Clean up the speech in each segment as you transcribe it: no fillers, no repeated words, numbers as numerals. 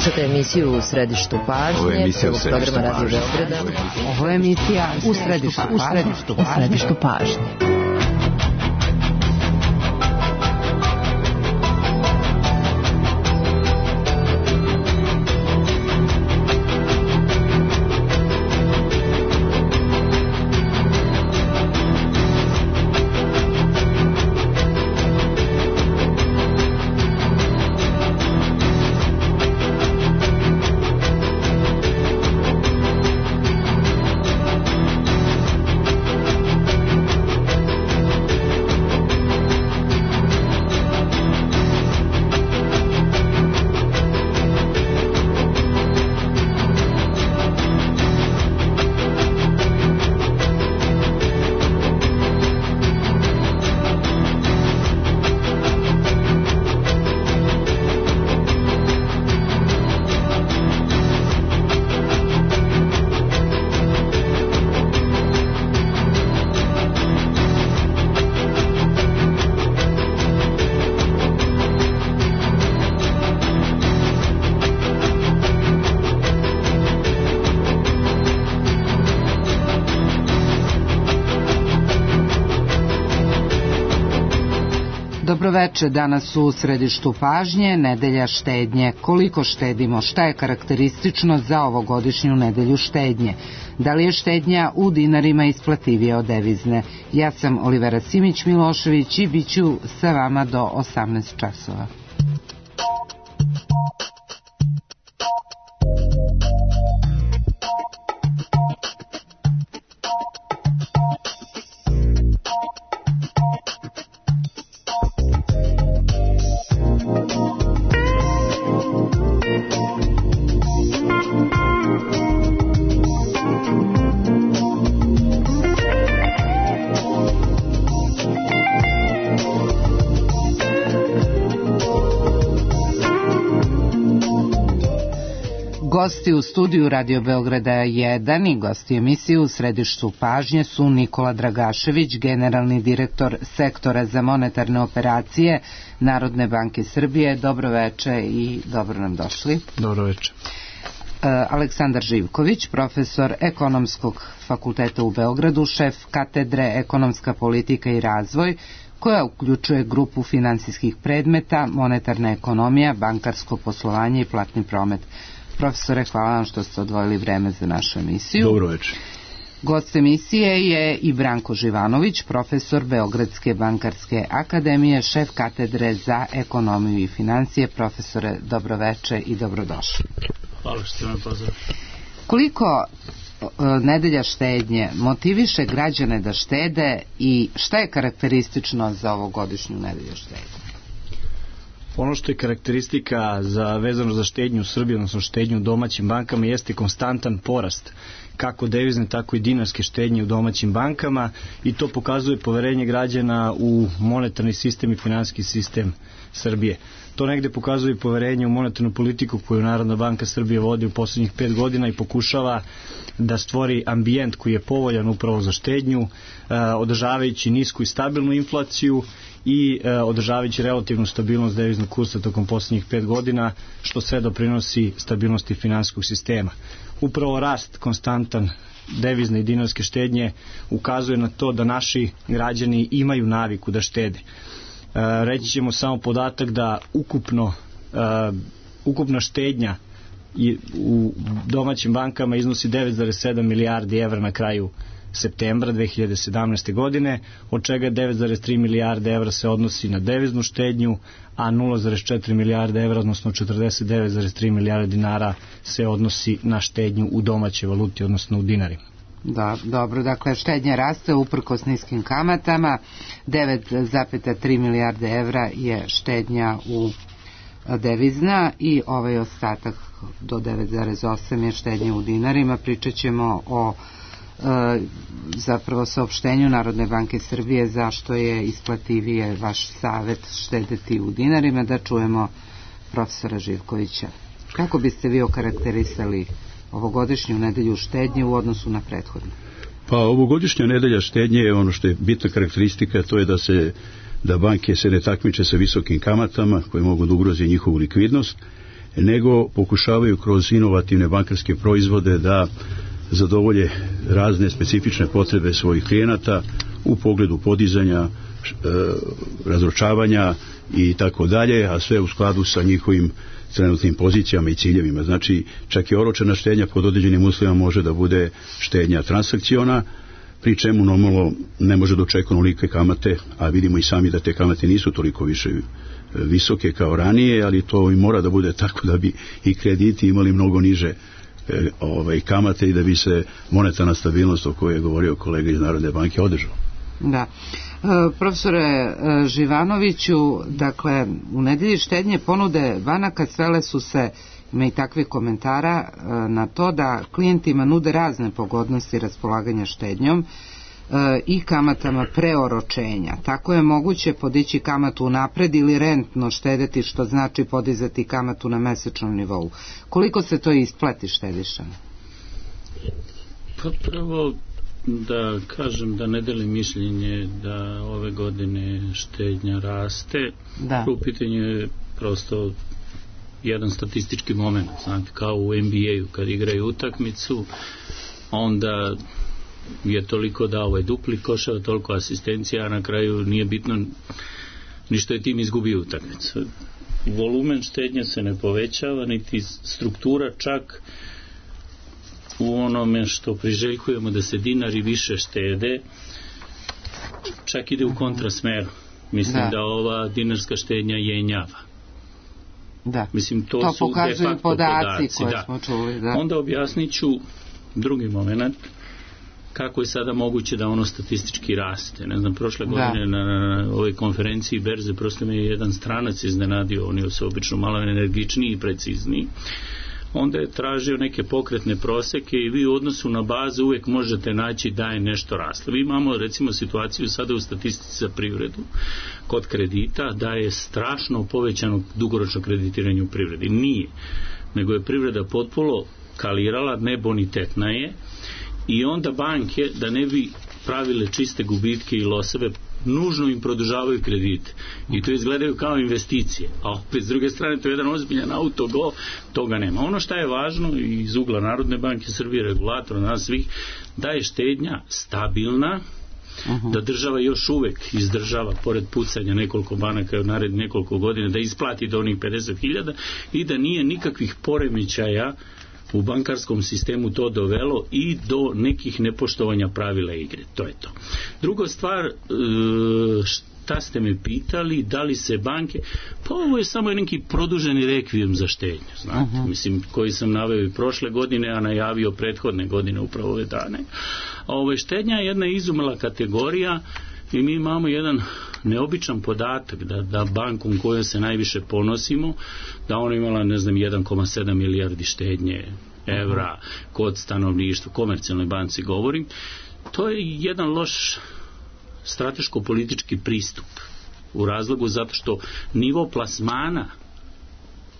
Slušate emisiju U središtu pažnje, programa Radio Beograda. Ovo je emisija U središtu pažnje. Dobroveče, danas u središtu pažnje, nedelja štednje. Koliko štedimo? Šta je karakteristično za ovogodišnju nedelju štednje? Da li je štednja u dinarima isplativija od devizne? Ja sam Olivera Simić-Milošević i bit ću sa vama do 18 časova. Gosti u studiju Radio Beograda 1 i gosti emisije U središtu pažnje su Nikola Dragašević, generalni direktor sektora za monetarne operacije Narodne banke Srbije. Dobroveče i dobro nam došli. Dobroveče. Aleksandar Živković, profesor Ekonomskog fakulteta u Beogradu, šef katedre Ekonomska politika i razvoj, koja uključuje grupu finansijskih predmeta, monetarna ekonomija, bankarsko poslovanje i platni promet. Profesore, hvala vam što ste odvojili vreme za našu emisiju. Dobroveče. Gost emisije je i Branko Živanović, profesor Beogradske bankarske akademije, šef katedre za ekonomiju i financije. Profesore, dobroveče i dobrodošli. Hvala što ste me pozvali. Koliko nedelja štednje motiviše građane da štede i šta je karakteristično za ovogodišnju nedelju štednje? Ono što je karakteristika vezano za štednju u Srbiji, odnosno štednju u domaćim bankama, jeste konstantan porast kako devizne, tako i dinarske štednje u domaćim bankama i to pokazuje poverenje građana u monetarni sistem i finansijski sistem Srbije. To negde pokazuje poverenje u monetarnu politiku koju Narodna banka Srbije vodi u poslednjih 5 godina i pokušava da stvori ambijent koji je povoljan upravo za štednju, održavajući nisku i stabilnu inflaciju i održavajući relativnu stabilnost deviznog kursa tokom poslednjih 5 godina, što sve doprinosi stabilnosti finansijskog sistema. Upravo rast konstantan devizne i dinarske štednje ukazuje na to da naši građani imaju naviku da štede. Reći ćemo samo podatak da ukupna štednja u domaćim bankama iznosi 9,7 milijardi evra na kraju septembra 2017. godine, od čega 9,3 milijarde evra se odnosi na deviznu štednju, a 0,4 milijarde evra, odnosno 49,3 milijarde dinara se odnosi na štednju u domaćoj valuti, odnosno u dinarima. Da, dobro, dakle štednja raste uprkos niskim kamatama, 9,3 milijarde evra je štednja u devizna i ovaj ostatak do 9,8 je štednja u dinarima. Pričat ćemo o zapravo saopštenju Narodne banke Srbije zašto je isplativije vaš savet štedeti u dinarima. Da čujemo profesora Živkovića. Kako biste vi okarakterisali ovogodišnju nedelju štednje u odnosu na prethodnu? Pa ovogodišnja nedelja štednje je ono što je bitna karakteristika, to je da banke se ne takmiče sa visokim kamatama koje mogu da ugroze njihovu likvidnost nego pokušavaju kroz inovativne bankarske proizvode da zadovolje razne specifične potrebe svojih klijenata u pogledu podizanja, razročavanja i tako dalje, a sve u skladu sa njihovim trenutnim pozicijama i ciljevima. Znači, čak i oročena štednja pod određenim uslovima može da bude štednja transakciona, pri čemu normalno ne može da očekuje onolike kamate, a vidimo i sami da te kamate nisu toliko više visoke kao ranije, ali to i mora da bude tako da bi i krediti imali mnogo niže kamate i da bi se monetarna stabilnost o kojoj je govorio kolega iz Narodne banke održala. Da. Profesore Živanoviću, dakle, u nedelji štednje ponude banaka svele su se, ima i takvih komentara, na to da klijentima nude razne pogodnosti raspolaganja štednjom i kamatama preoročenja. Tako je moguće podići kamatu unapred ili rentno štedeti, što znači podizati kamatu na mesečnom nivou. Koliko se to isplati štedišama? Pa prvo da kažem da ne delim mišljenje da ove godine štednja raste. Prvo pitanje je prosto jedan statistički moment, znate, kao u NBA-u kad igraju utakmicu, onda je toliko dao dupli koševa, toliko asistencija, a na kraju nije bitno ništa je tim izgubio utakmicu. Volumen štednje se ne povećava, niti struktura, čak u onome što priželjkujemo da se dinari više štede, čak ide u kontrasmeru. Mislim da ova dinarska štednja jenjava. Da. Mislim, to su pokazuju podaci koje smo čuli. Da. Onda objasnit ću drugi moment, kako je sada moguće da ono statistički raste. Ne znam, prošle godine na ovoj konferenciji berze prosto me je jedan stranac iznenadio, on je se obično malo energičniji i precizniji. Onda je tražio neke pokretne proseke i vi u odnosu na bazu uvijek možete naći da je nešto raslo. Vi imamo recimo situaciju sada u statistici za privredu kod kredita da je strašno povećano dugoročno kreditiranje u privredi. Nije, nego je privreda potpuno kalirala, nebonitetna je, i onda banke, da ne bi pravile čiste gubitke i loseve, nužno im produžavaju kredite i to izgledaju kao investicije, a opet s druge strane to je jedan ozbiljan autogol, toga nema. Ono što je važno iz ugla Narodne banke Srbije, regulatora nas svih, da je štednja stabilna, da država još uvek izdržava pored pucanja nekoliko banaka u narednih nekoliko godina, da isplati do onih 50.000 i da nije nikakvih poremećaja u bankarskom sistemu to dovelo i do nekih nepoštovanja pravila igre. To je to. Druga stvar, šta ste me pitali, da li se banke, pa ovo je samo neki produženi rekvijem za štednju, znate, mislim, koji sam naveo i prošle godine, a najavio prethodne godine upravo ove dane. Štednja je jedna izumela kategorija i mi imamo jedan neobičan podatak da bankom kojom se najviše ponosimo, da ona imala, ne znam, 1,7 milijardi štednje evra kod stanovništva, komercijalnoj banci govorim, to je jedan loš strateško-politički pristup u razlogu zato što nivo plasmana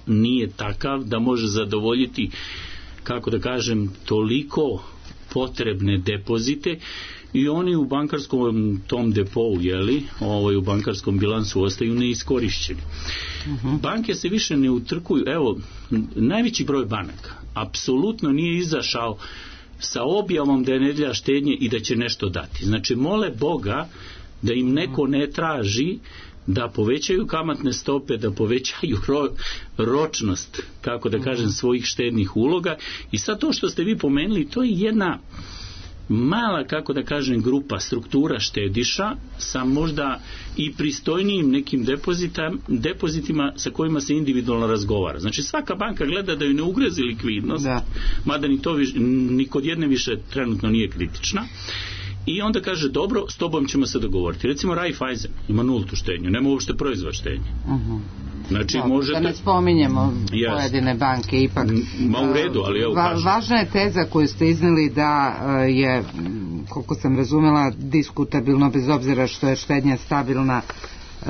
nije takav da može zadovoljiti, kako da kažem, toliko potrebne depozite i oni u bankarskom tom depou, u bankarskom bilansu ostaju neiskorišćeni. Banke se više ne utrkuju. Evo, najveći broj banaka apsolutno nije izašao sa objavom da je nedelja štednje i da će nešto dati. Znači, mole Boga da im neko ne traži da povećaju kamatne stope, da povećaju ročnost, kako da kažem, svojih štednih uloga. I sad to što ste vi pomenuli, to je jedna mala, kako da kažem, grupa, struktura štediša sa možda i pristojnijim nekim depozitima sa kojima se individualno razgovara. Znači, svaka banka gleda da ju ne ugrozi likvidnost, mada ni kod jedne više trenutno nije kritična. I onda kaže, dobro, s tobom ćemo se dogovoriti. Recimo, Raiffeisen ima nultu štednju, nema uopšte proizvod štednje. Znači, možete... Da ne spominjemo pojedine banke, ipak... U redu, ali evo kažem. Važna je teza koju ste izneli da je, koliko sam razumela, diskutabilno, bez obzira što je štednja stabilna,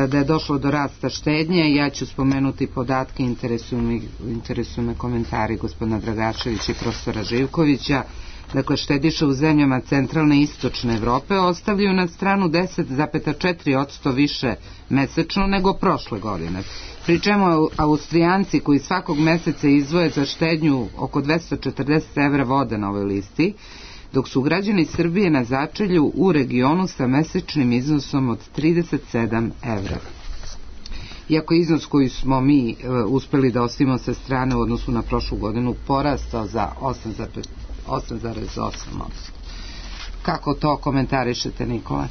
da je došlo do rasta štednje. Ja ću spomenuti podatke, interesuju me komentari gospodina Dragaševića i profesora Živkovića. Dakle, štediše u zemljama centralne i istočne Evrope ostavljaju na stranu 10,4% više mesečno nego prošle godine. Pri čemu Austrijanci koji svakog meseca izdvoje za štednju oko 240 evra vode na ovoj listi, dok su građani Srbije na začelju u regionu sa mesečnim iznosom od 37 evra. Iako iznos koji smo mi uspeli da ostavimo sa strane u odnosu na prošlu godinu porastao za 8,8%. Kako to komentarišete, Nikola?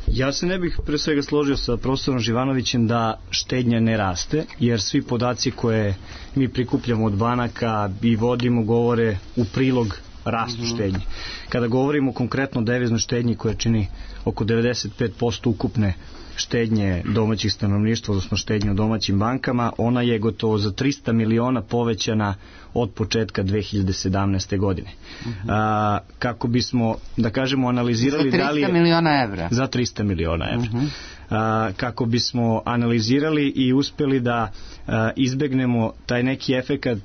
Ja se ne bih pre svega složio sa profesorom Živanovićem da štednja ne raste, jer svi podaci koje mi prikupljamo od banaka i vodimo govore u prilog rastu štednje. Kada govorimo konkretno o deviznoj štednji koja čini oko 95% ukupne štednje domaćih stanovništva, odnosno štednje u domaćim bankama, ona je gotovo za 300 miliona povećana od početka 2017. godine. Kako bismo, da kažemo, analizirali za 300 miliona evra. Za 300 miliona evra. Kako bismo analizirali i uspeli da izbegnemo taj neki efekat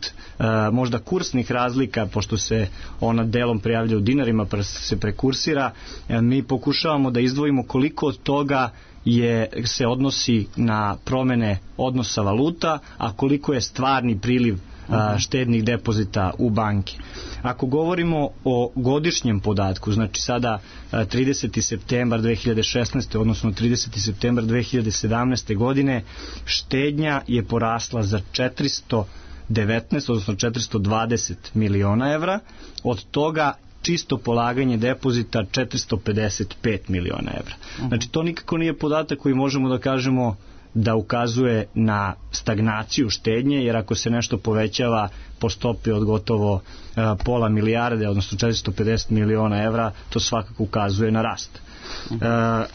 možda kursnih razlika, pošto se ona delom prijavlja u dinarima pa se prekursira, mi pokušavamo da izdvojimo koliko od toga se odnosi na promene odnosa valuta, a koliko je stvarni priliv štednih depozita u banke. Ako govorimo o godišnjem podatku, znači sada 30. septembar 2016. odnosno 30. septembar 2017. godine, štednja je porasla za 419, odnosno 420 miliona evra, od toga čisto polaganje depozita 455 miliona evra. Znači to nikako nije podatak koji možemo da kažemo da ukazuje na stagnaciju štednje, jer ako se nešto povećava po stopi od gotovo pola milijarde, odnosno 450 miliona evra, to svakako ukazuje na rast.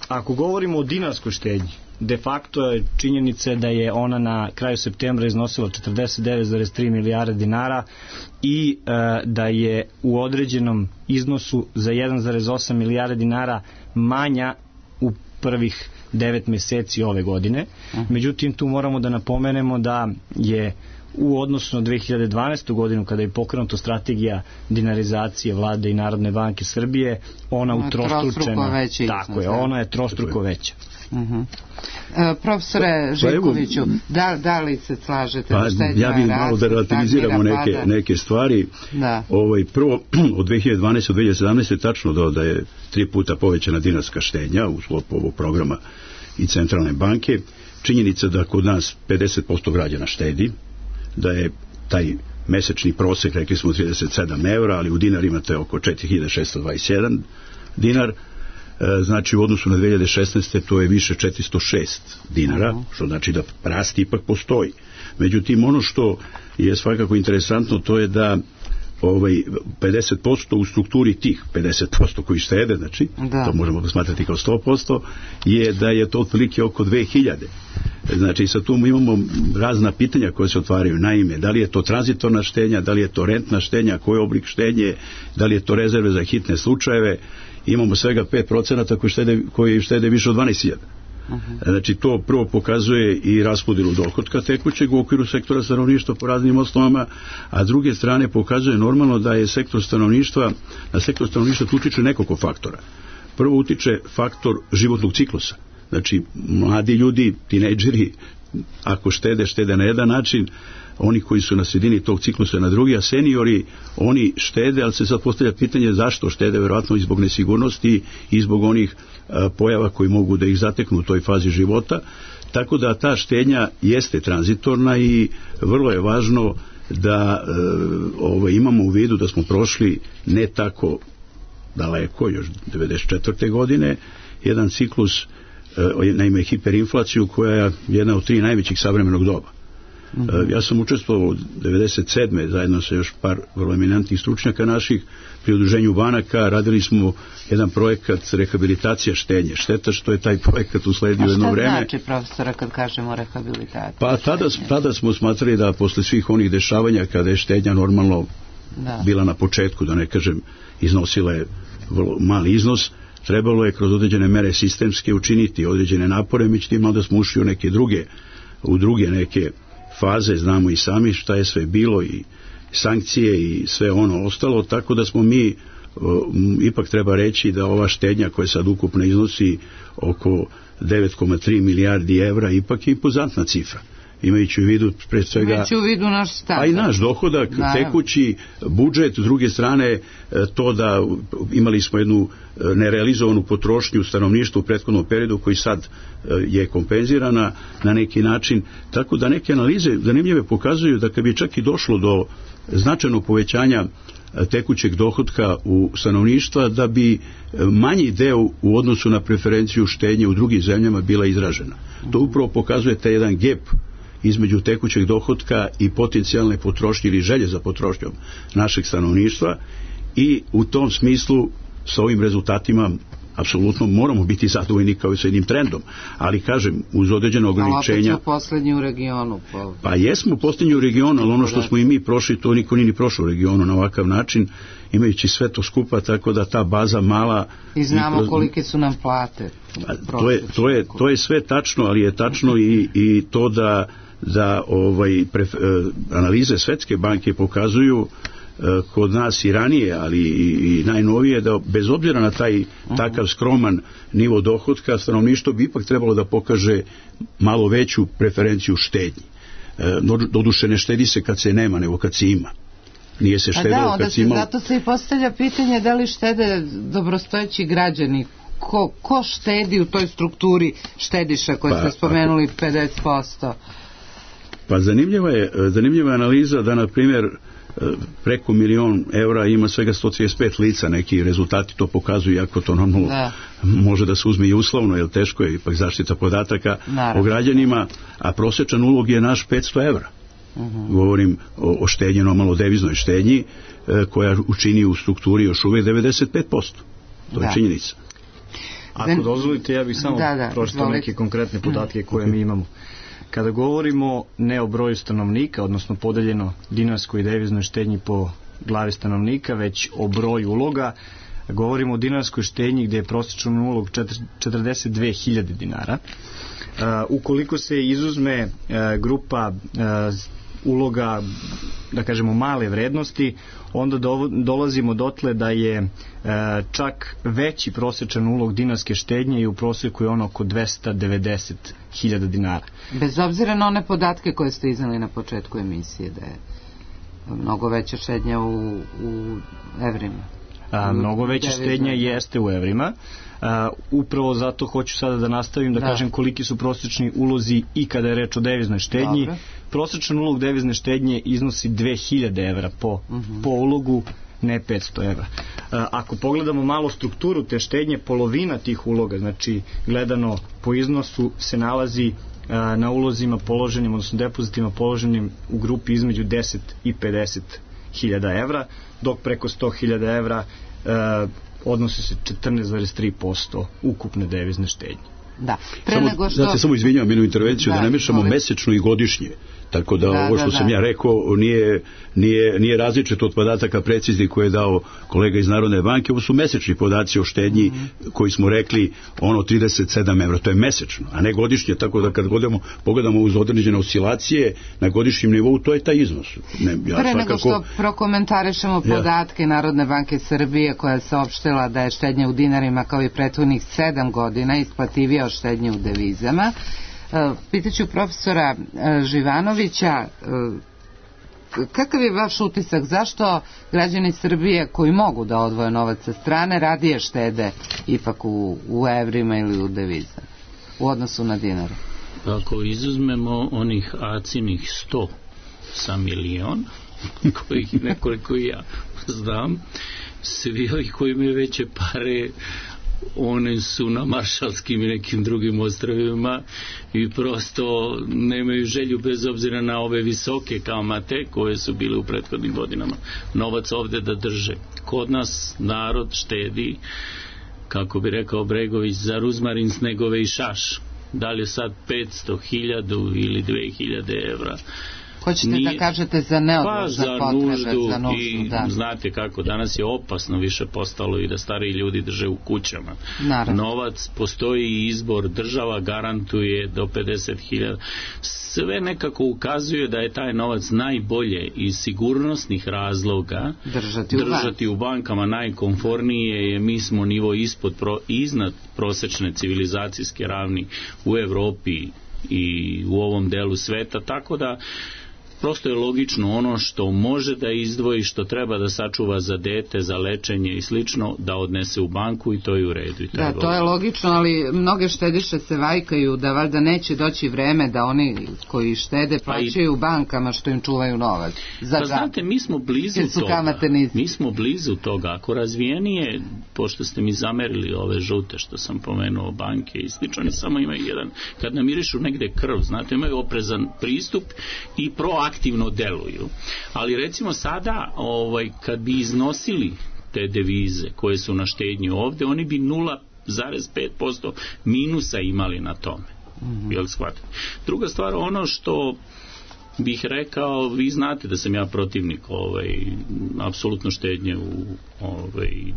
Ako govorimo o dinarskoj štednji, de facto je činjenica da je ona na kraju septembra iznosila 49,3 milijarde dinara i da je u određenom iznosu za 1,8 milijarde dinara manja u prvih 9 meseci ove godine. Međutim, tu moramo da napomenemo da je u odnosu na 2012. godinu, kada je pokrenuta strategija dinarizacije Vlade i Narodne banke Srbije, ona utrostručena. Tako je, ona je trostruko veća. Profesore Živkoviću, da li se slažete da štednja raste? Ja bih malo da relativiziramo neke stvari. Prvo, od 2012. do 2017. tačno da je 3 puta povećana dinarska štednja u sklopu ovog programa i centralne banke. Činjenica da kod nas 50% građana štedi, da je taj mesečni prosek, rekli smo 37 evra, ali u dinarima to je oko 4621 dinar. Znači u odnosu na 2016. to je više 406 dinara, što znači da rast ipak postoji. Međutim, ono što je svakako interesantno, to je da 50% u strukturi tih 50% koji štede, znači to možemo posmatrati kao 100%, je da je to otprilike oko 2000. Znači sad tu imamo razna pitanja koje se otvaraju. Naime, da li je to tranzitorna štednja, da li je to rentna štednja, koji oblik štednje, da li je to rezerve za hitne slučajeve. Imamo svega 5% koji štede više od 12.000. Znači to prvo pokazuje i raspodelu dohotka tekućeg u okviru sektora stanovništva po raznim osnovama, a s druge strane pokazuje normalno da je na sektor stanovništva utiče nekoliko faktora. Prvo utiče faktor životnog ciklusa. Znači mladi ljudi, tinejdžeri, ako štede na jedan način, oni koji su na sredini tog ciklusa na drugi, a seniori, oni štede, ali se sad postavlja pitanje zašto štede, verovatno i zbog nesigurnosti i zbog onih pojava koji mogu da ih zateknu u toj fazi života, tako da ta štednja jeste tranzitorna i vrlo je važno da imamo u vidu da smo prošli ne tako daleko, još 1994. godine, jedan ciklus, naime hiperinflaciju, koja je jedna od 3 najvećih savremenog doba. Ja sam učestvovao od 1997. zajedno sa još par vrlo eminentnih stručnjaka naših pri udruženju banaka. Radili smo jedan projekat rehabilitacija štednje. Šteta što je taj projekat usledio jedno vreme. A šta znači, profesora, kad kažemo rehabilitacija? Pa tada smo smatrali da posle svih onih dešavanja kada je štednja normalno bila na početku, da ne kažem iznosila je vrlo mali iznos, trebalo je kroz određene mere sistemske učiniti određene napore, međutim onda smo ušli u druge neke faze, znamo i sami šta je sve bilo i sankcije i sve ono ostalo, tako da smo mi ipak treba reći da ova štednja koja sad ukupno iznosi oko 9,3 milijardi evra ipak je impozantna cifra. Imajući u vidu pre svega... Imajući u vidu naš stav. A i naš dohodak, tekući budžet, s druge strane to da imali smo jednu nerealizovanu potrošnju stanovništva u prethodnom periodu koji sad je kompenzirana na neki način. Tako da neke analize zanimljive pokazuju da kad bi čak i došlo do značajnog povećanja tekućeg dohotka u stanovništva, da bi manji deo u odnosu na preferenciju štednje u drugim zemljama bila izražena. To upravo pokazuje taj jedan gap između tekućeg dohotka i potencijalne potrošnje ili želje za potrošnjom našeg stanovništva, i u tom smislu sa ovim rezultatima apsolutno moramo biti zadovoljni kao i sa jednim trendom, ali kažem, uz određene ograničenja... Ali opet smo poslednji u regionu. Pa jesmo poslednji u regionu, ali ono što smo i mi prošli, to niko nije ni prošao u regionu na ovakav način, imajući sve to skupa, tako da ta baza mala... I znamo kolike su nam plate. To je sve tačno, ali je tačno i to da analize Svetske banke pokazuju kod nas i ranije, ali i najnovije, da bez obzira na taj takav skroman nivo dohotka, stanovništvo bi ipak trebalo da pokaže malo veću preferenciju štednji. Doduše ne štedi se kad se nema, nego kad se ima. Nije se štedilo kad se imalo. Zato se i postavlja pitanje da li štede dobrostojeći građani. Ko štedi u toj strukturi štediša koje ste spomenuli 50%? Pa zanimljiva je analiza da, na primjer, preko 1.000.000 evra ima svega 135 lica, neki rezultati to pokazuju, iako to normalno može da se uzme i uslovno, jer teško je ipak zaštita podataka o građanima, a prosječan ulog je naš 500 evra. Govorim o štednji, normalno deviznoj štednji, koja učini u strukturi još uvijek 95%. To je činjenica. Ako dozvolite, ja bih samo pročitao neke konkretne podatke koje mi imamo. Kada govorimo ne o broju stanovnika, odnosno podeljeno dinarskoj i deviznoj štednji po glavi stanovnika, već o broju uloga, govorimo o dinarskoj štednji gdje je prosječan ulog 42.000 dinara. Ukoliko se izuzme grupa uloga, da kažemo, male vrednosti, onda dolazimo dotle da je čak veći prosječan ulog dinarske štednje i u prosjeku je ono oko 290.000 dinara. Bez obzira na one podatke koje ste iznali na početku emisije, da je mnogo veća štednja u evrima. Mnogo veća štednja jeste u evrima. Upravo zato hoću sada da nastavim da kažem koliki su prosječni ulozi i kada je reč o deviznoj štednji. Prosječan ulog devizne štednje iznosi 2.000 evra po ulogu, ne 500 evra. Ako pogledamo malo strukturu te štednje, polovina tih uloga, znači gledano po iznosu, se nalazi na ulozima položenim, odnosno depozitima položenim u grupi između 10 i 50.000 evra, dok preko 100.000 evra odnosi se 14,3% ukupne devizne štednje. Samo izvinjavam jednu intervenciju, da ne mešamo mesečno i godišnje. Tako da ovo što sam ja rekao nije različito od podataka preciznih koje je dao kolega iz Narodne banke. Ovo su mesečni podaci o štednji koji smo rekli 37 evra. To je mesečno, a ne godišnje. Tako da kad pogledamo uz određene oscilacije na godišnjem nivou, to je taj iznos. Pre nego što prokomentarišemo podatke Narodne banke Srbije koja je saopštila da je štednja u dinarima kao i prethodnih 7 godina isplativija od štednje u devizama, pitaću profesora Živanovića, kakav je vaš utisak, zašto građani Srbije koji mogu da odvoje novac sa strane radije štede ipak u evrima ili u devizama u odnosu na dinare? Ako izuzmemo onih acinih 100 sa milion, kojih nekoliko ja znam, svi ovi koji imaju veće pare, one su na Maršalskim i nekim drugim ostrvima i prosto nemaju želju, bez obzira na ove visoke kamate koje su bile u prethodnim godinama, novac ovde da drže. Kod nas narod štedi, kako bi rekao Bregović, za ruzmarin, snegove i šaš. Da li je sad 500, 1000 ili 2000 evra, Hoćete da kažete za neodložne potrebe, za nuždu, i da. Znate kako, danas je opasno više postalo i da stariji ljudi drže u kućama. Naravno. Novac, postoji izbor, država garantuje do 50.000. Sve nekako ukazuje da je taj novac najbolje iz sigurnosnih razloga držati u bankama. Najkomfornije je, mi smo nivo iznad prosečne civilizacijske ravni u Evropi i u ovom delu sveta, tako da prosto je logično ono što može da izdvoji, što treba da sačuva za dete, za lečenje i slično, da odnese u banku i to je u redu. I da, to je logično, ali mnoge štediše se vajkaju da valjda neće doći vreme da oni koji štede plaćaju u bankama što im čuvaju novac. Znate, mi smo blizu toga. Mi smo blizu toga. Ako razvijenije, pošto ste mi zamerili ove žute što sam pomenuo, banke i slično, oni samo imaju jedan, kad namirišu negde krv, znate, imaju oprezan pristup i proaktivno deluju. Ali recimo sada, kad bi iznosili te devize koje su na štednji ovde, oni bi 0,5% minusa imali na tome. Jel shvatite? Druga stvar, ono što bih rekao, vi znate da sam ja protivnik apsolutno štednje u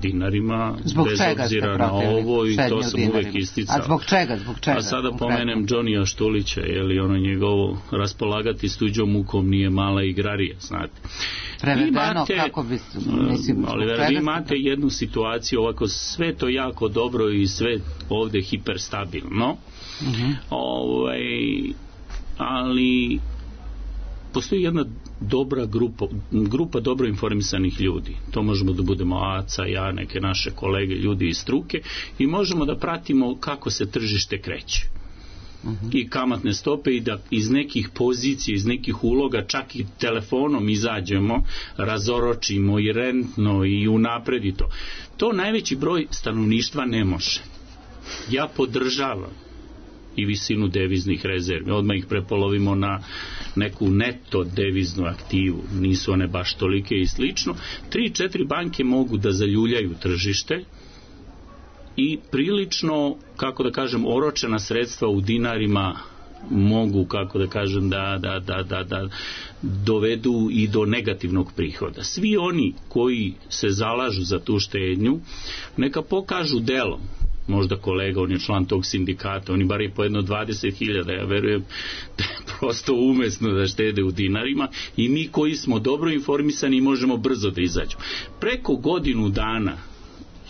dinarima, bez obzira na ovo, i to sam uvek isticao. A zbog čega? A sada pomenem Džonija Štulića, ono njegovo raspolagati s tuđom mukom nije mala igrarija, znate. Prevedeno, kako bi vi imate jednu situaciju, ovako sve to jako dobro i sve ovde hiperstabilno, ali postoji jedna dobra grupa dobro informisanih ljudi. To možemo da budemo Aca, ja, neke naše kolege, ljudi iz struke, i možemo da pratimo kako se tržište kreće. I kamatne stope, i da iz nekih pozicija, iz nekih uloga, čak i telefonom izađemo, razoročimo i rentno i unapredi to. To najveći broj stanovništva ne može. Ja podržavam i visinu deviznih rezervi. Odmah ih prepolovimo na neku neto deviznu aktivu. Nisu one baš tolike i slično. 3-4 banke mogu da zaljuljaju tržište i prilično, kako da kažem, oročena sredstva u dinarima mogu, kako da kažem, da dovedu i do negativnog prihoda. Svi oni koji se zalažu za tu štednju, neka pokažu delom. Možda kolega, on je član tog sindikata, oni bar i po jedno 20.000, ja verujem da je prosto umesno da štede u dinarima, i mi koji smo dobro informisani možemo brzo da izađemo. Preko godinu dana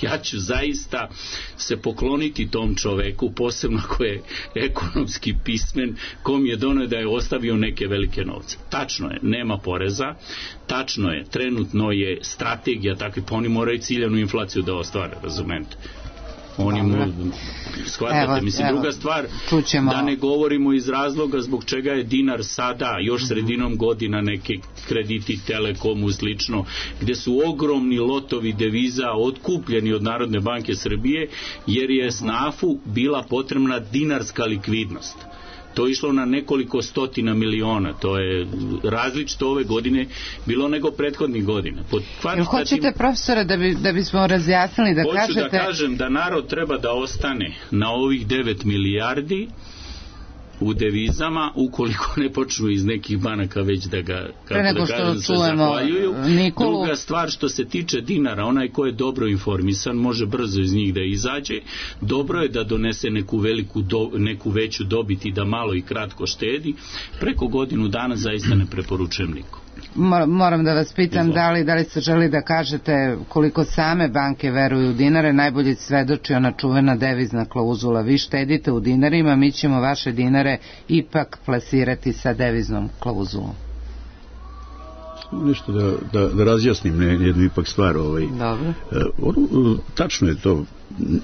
ja ću zaista se pokloniti tom čoveku, posebno ko je ekonomski pismen, kom je doneo da je ostavio neke velike novce. Tačno je, nema poreza, tačno je, trenutno je strategija takva, pa oni moraju ciljanu inflaciju da ostvare, razumete? Shvatate, mislim, druga stvar, da ne govorimo iz razloga zbog čega je dinar sada, još sredinom godina, neke krediti Telekomu slično, gde su ogromni lotovi deviza otkupljeni od Narodne banke Srbije, jer je SNAF-u bila potrebna dinarska likvidnost. To je išlo na nekoliko stotina miliona. To je različito ove godine bilo nego prethodnih godina. Hoćete, profesore, da bismo razjasnili, da kažete... Hoću da kažem da narod treba da ostane na ovih 9 milijardi u devizama, ukoliko ne počnu iz nekih banaka već da ga, kako da kažem, se zahvaljuju. Druga stvar, što se tiče dinara, onaj ko je dobro informisan može brzo iz njih da izađe. Dobro je da donese neku veću dobit i da malo i kratko štedi. Preko godinu dana zaista ne preporučujem nikom. Moram da vas pitam, da li se želi da kažete koliko same banke veruju u dinare? Najbolje svedoči ona čuvena devizna klauzula. Vi štedite u dinarima, mi ćemo vaše dinare ipak plasirati sa deviznom klauzulom. Nešto da razjasnim jednu ipak stvar. Dobro. Tačno je to,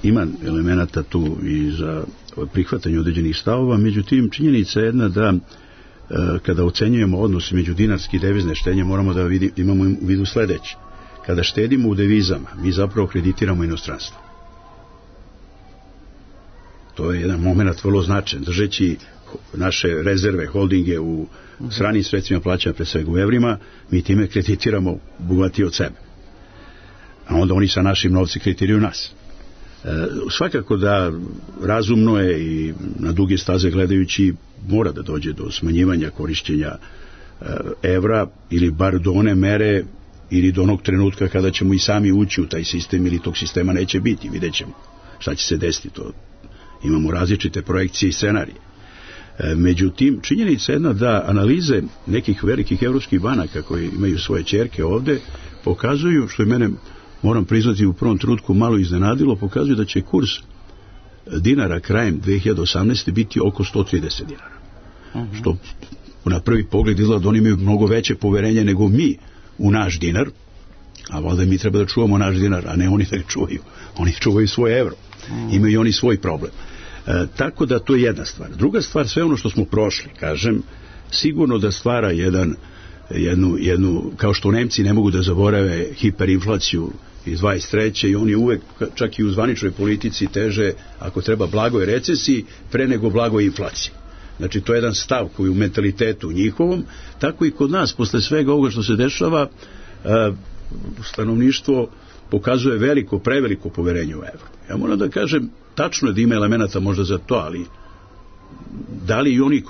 ima elemenata tu i za prihvatanje određenih stavova, međutim činjenica je jedna da kada ocenjujemo odnos među dinarske i devizne štednje, moramo da imamo u vidu sledeće. Kada štedimo u devizama, mi zapravo kreditiramo inostranstvo. To je jedan moment vrlo značajan. Držeći naše rezerve, holdinge u stranim sredstvima plaćanja, pre svega u evrima, mi time kreditiramo bogatije od sebe. A onda oni sa našim novci kreditiraju nas. Svakako da razumno je i na duge staze gledajući mora da dođe do smanjivanja korišćenja evra, ili bar do one mere ili do onog trenutka kada ćemo i sami ući u taj sistem, ili tog sistema neće biti, vidjet ćemo šta će se desiti. To imamo različite projekcije i scenarije. Međutim, činjenica jedna da analize nekih velikih evropskih banaka koji imaju svoje ćerke ovde pokazuju, što je mene, moram priznati, u prvom trenutku malo iznenadilo, pokazuju da će kurs dinara krajem 2018. biti oko 130 dinara. Što na prvi pogled izgleda da oni imaju mnogo veće poverenje nego mi u naš dinar, a valjda mi treba da čuvamo naš dinar, a ne oni da ga čuvaju. Oni čuvaju svoj evro. Imaju i oni svoj problem. Tako da to je jedna stvar. Druga stvar, sve ono što smo prošli, kažem, sigurno da stvara jednu, kao što Nemci ne mogu da zaborave hiperinflaciju iz 23. i oni uvek, čak i u zvaničnoj politici, teže, ako treba, blagoj recesiji pre nego blagoj inflaciji. Znači, to je jedan stav koji u mentalitetu njihovom, tako i kod nas, posle svega ovoga što se dešava, stanovništvo pokazuje preveliko poverenje u evro. Ja moram da kažem, tačno je da ima elemenata možda za to, ali da li i oni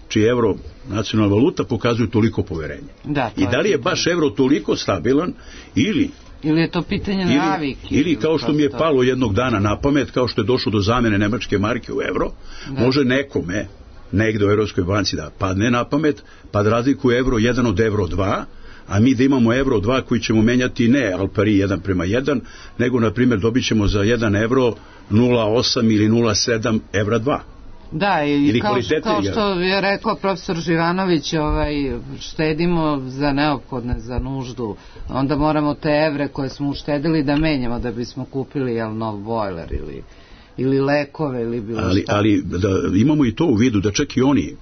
čiji evro nacionalna valuta pokazuju toliko poverenje? I da li je baš evro toliko stabilan ili je to pitanje navike? Ili kao što mi je palo jednog dana na pamet, kao što je došlo do zamene nemačke marke u evro, može nekome negde u Evropskoj banci da padne na pamet, pa da razlikuje evro 1 od evro 2, a mi da imamo evro 2 koji ćemo menjati ne al pari 1:1, nego na primjer dobit ćemo za 1 evro 0,8 ili 0,7 evra 2. Da, i kao što je rekao profesor Živanović, štedimo za neophodne, za nuždu, onda moramo te evre koje smo uštedili da menjamo da bismo kupili nov bojler ili lekove ili bilo šta. Ali da imamo i to u vidu da čak i oni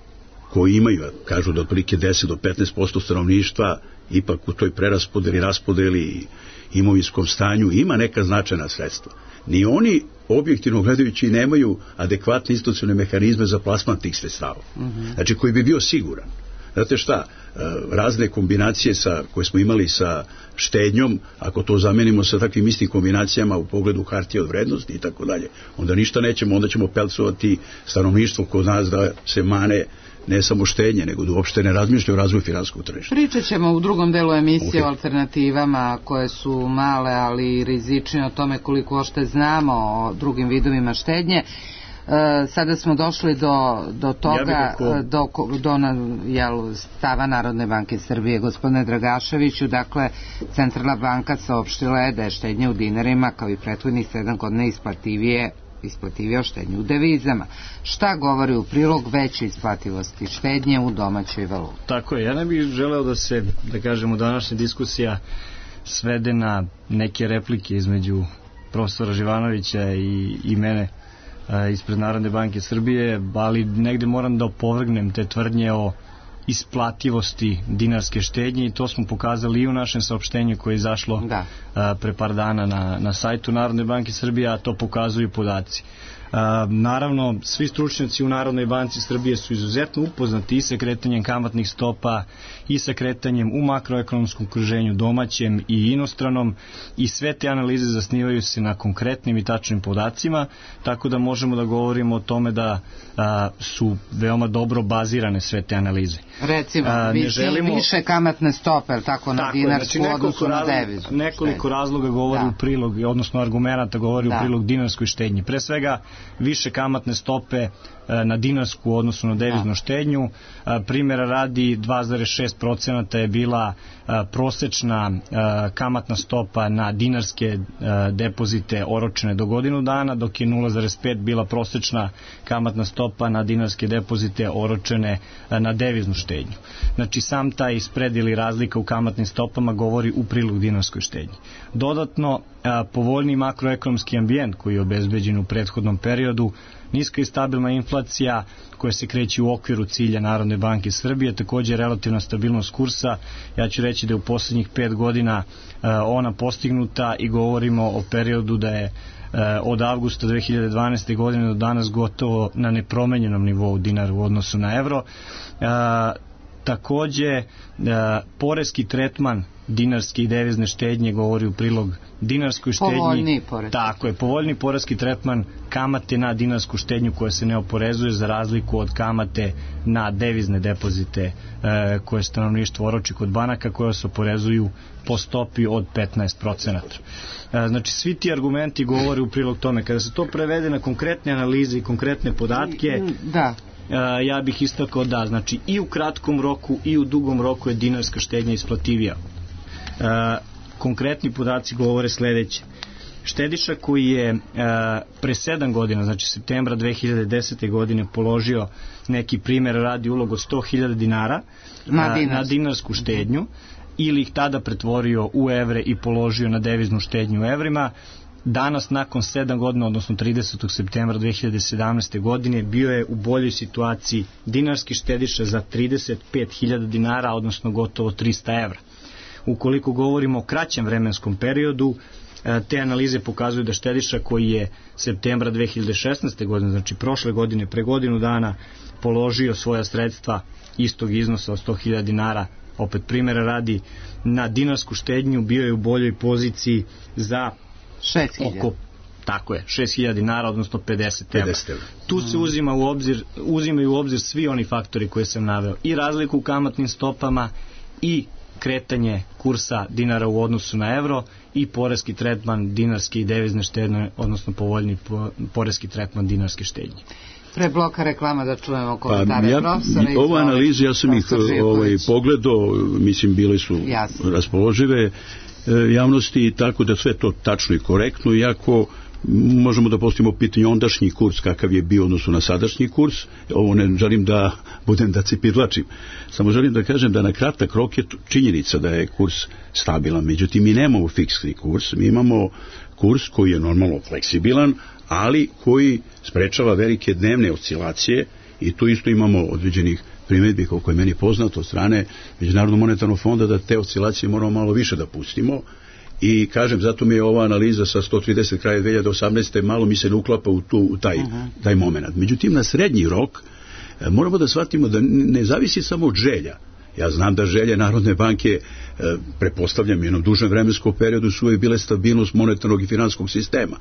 koji imaju, kažu da otprilike 10 do 15% stanovništva ipak u toj raspodeli i imovinskom stanju ima neka značajna sredstva. Ni oni objektivno gledajući nemaju adekvatne institucionalne mehanizme za plasman tih sredstava. Znači koji bi bio siguran. Znate šta, razne kombinacije koje smo imali sa štednjom, ako to zamenimo sa takvim istim kombinacijama u pogledu hartije od vrednosti i tako dalje, onda ništa nećemo, onda ćemo pelcovati stanovništvo kod nas da se mane ne samo štednje, nego da uopšte ne razmišlja o razvoju finansijskog tržišta. Pričat ćemo u drugom delu emisije o alternativama koje su male, ali rizične, o tome koliko ošte znamo o drugim vidovima štednje. Sada smo došli do toga, do stava Narodne banke Srbije. Gospodine Dragaševiću, dakle, Centralna banka saopštila je da je štednja u dinarima kao i prethodnih 7 godina isplativio štednju u devizama. Šta govori u prilog veće isplativosti štednje u domaćoj valuti? Tako je, ja ne bih želeo da kažemo, današnja diskusija svede na neke replike između profesora Živanovića i mene ispred Narodne banke Srbije, ali negde moram da opovrgnem te tvrdnje o isplativosti dinarske štednje i to smo pokazali i u našem saopštenju koje je izašlo pre par dana na sajtu Narodne banke Srbije, a to pokazuju podaci. Naravno, svi stručnjaci u Narodnoj banci Srbije su izuzetno upoznati i sa kretanjem kamatnih stopa i sa kretanjem u makroekonomskom okruženju domaćem i inostranom i sve te analize zasnivaju se na konkretnim i tačnim podacima, tako da možemo da govorimo o tome da su veoma dobro bazirane sve te analize. Recimo, više kamatne stope, tako na dinarsku odnosu na devizu. Nekoliko razloga govori u prilog, odnosno argumenata govori u prilog dinarskoj štednji. Pre svega, više kamatne stope na dinarsku odnosu na deviznu štednju. Primjera radi 2,6% je bila prosečna kamatna stopa na dinarske depozite oročene do godinu dana, dok je 0,5 bila prosečna kamatna stopa na dinarske depozite oročene na deviznu štednju. Znači sam taj spread ili razlika u kamatnim stopama govori u prilog dinarskoj štednji. Dodatno, povoljni makroekonomski ambijent koji je obezbeđen u prethodnom periodu, niska i stabilna inflacija koja se kreće u okviru cilja Narodne banke Srbije, također relativna stabilnost kursa. Ja ću reći da je u poslednjih 5 godina ona postignuta i govorimo o periodu da je od avgusta 2012. godine do danas gotovo na nepromenjenom nivou dinara u odnosu na evro. Takođe, poreski tretman dinarske i devizne štednje govori u prilog dinarskoj štednji. Povoljniji poreski. Tako je, povoljni poreski tretman kamate na dinarsku štednju koja se ne oporezuje za razliku od kamate na devizne depozite koje stanovništvo oroči kod banaka koje se oporezuju po stopi od 15%. Znači, svi ti argumenti govore u prilog tome. Kada se to prevede na konkretne analize i konkretne podatke, ja bih istakao da, znači, i u kratkom roku i u dugom roku je dinarska štednja isplativija. Konkretni podaci govore sledeće. Štediša koji je pre 7 godina, znači septembra 2010. godine položio neki primjer, radi ulog od 100.000 dinara na dinarsku štednju ili ih tada pretvorio u evre i položio na deviznu štednju u evrima, danas nakon 7 godina, odnosno 30. septembra 2017. godine, bio je u boljoj situaciji dinarski štediša za 35.000 dinara, odnosno gotovo 300 evra. Ukoliko govorimo o kraćem vremenskom periodu, te analize pokazuju da štediša koji je septembra 2016. godine, znači prošle godine, pre godinu dana, položio svoja sredstva istog iznosa od 100.000 dinara, opet primjera radi, na dinarsku štednju, bio je u boljoj poziciji za 6.000. Oko, tako je, 6.000 dinara, odnosno 50 evra. Tu se uzimaju u obzir svi oni faktori koje sam naveo, i razliku u kamatnim stopama, i kretanje kursa dinara u odnosu na evro, i poreski tretman dinarske i devizne štednje, odnosno povoljni poreski tretman dinarske štednje. Pre bloka reklama da čujemo komentare profesora. Ova analiza, ja sam ih pogledao, mislim, bile su raspoložive javnosti, tako da sve to tačno i korektno, iako možemo da postavimo pitanje ondašnji kurs kakav je bio odnosu na sadašnji kurs. Ovo ne želim da budem da cipidlačim, samo želim da kažem da na kratak rok je činjenica da je kurs stabilan, međutim mi nemamo fiksni kurs, mi imamo kurs koji je normalno fleksibilan, ali koji sprečava velike dnevne oscilacije, i tu isto imamo određenih primjedbi, koliko je meni poznato, od strane Međunarodnog monetarnog fonda, da te oscilacije moramo malo više da pustimo. I kažem, zato mi je ova analiza sa 130 kraja 2018. malo mi se ne uklapa u taj moment. Međutim, na srednji rok moramo da shvatimo da ne zavisi samo od želja. Ja znam da želje Narodne banke, pretpostavljam, jednom dužem vremenskom periodu su uvijek bile stabilnost monetarnog i finansijskog sistema.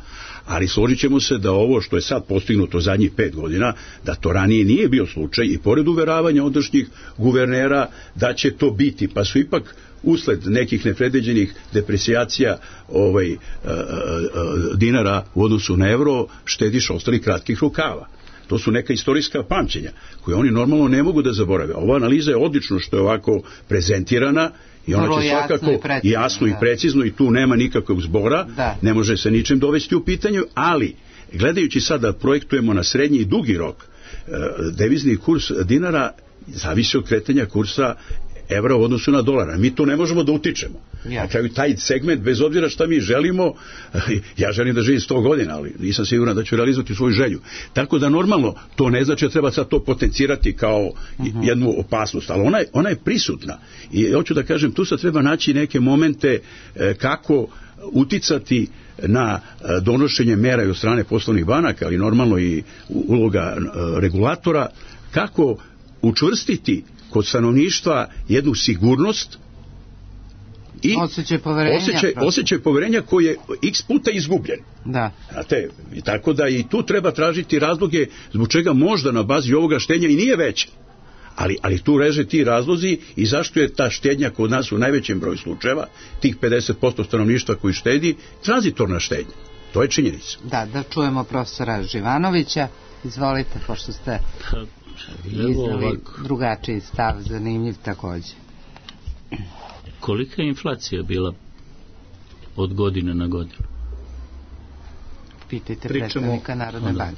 Ali složit ćemo se da ovo što je sad postignuto zadnjih 5 godina, da to ranije nije bio slučaj, i pored uveravanja ondašnjih guvernera da će to biti, pa su ipak usled nekih nepredviđenih deprecijacija dinara u odnosu na evro štediš ostali kratkih rukava. To su neka istorijska pamćenja koje oni normalno ne mogu da zaborave. Ova analiza je odlično što je ovako prezentirana i ona će svakako jasno i precizno, i tu nema nikakvog zbora, ne može se ničim dovesti u pitanju, ali gledajući sad da projektujemo na srednji i dugi rok, devizni kurs dinara zavisi od kretanja kursa evra u odnosu na dolara. Mi to ne možemo da utičemo. Na kraju taj segment, bez obzira šta mi želimo, ja želim da živim 100 godina, ali nisam siguran da ću realizovati svoju želju. Tako da normalno to ne znači da treba sad to potencirati kao jednu opasnost, ali ona je prisutna. I hoću da kažem, tu sad treba naći neke momente kako uticati na donošenje mera i od strane poslovnih banaka, ali normalno i uloga regulatora, kako učvrstiti kod stanovništva jednu sigurnost i osjećaj poverenja koji je x puta izgubljen. Znate, i tako da i tu treba tražiti razloge zbog čega možda na bazi ovoga štednja i nije veća. Ali tu reže ti razlozi i zašto je ta štednja kod nas u najvećem broju slučajeva, tih 50% stanovništva koji štedi, tranzitorna štednja. To je činjenica. Da čujemo profesora Živanovića. Izvolite, pošto ste iznali drugačiji stav, zanimljiv takođe. Kolika je inflacija bila od godine na godinu? Pitajte predstavnika Narodne banke.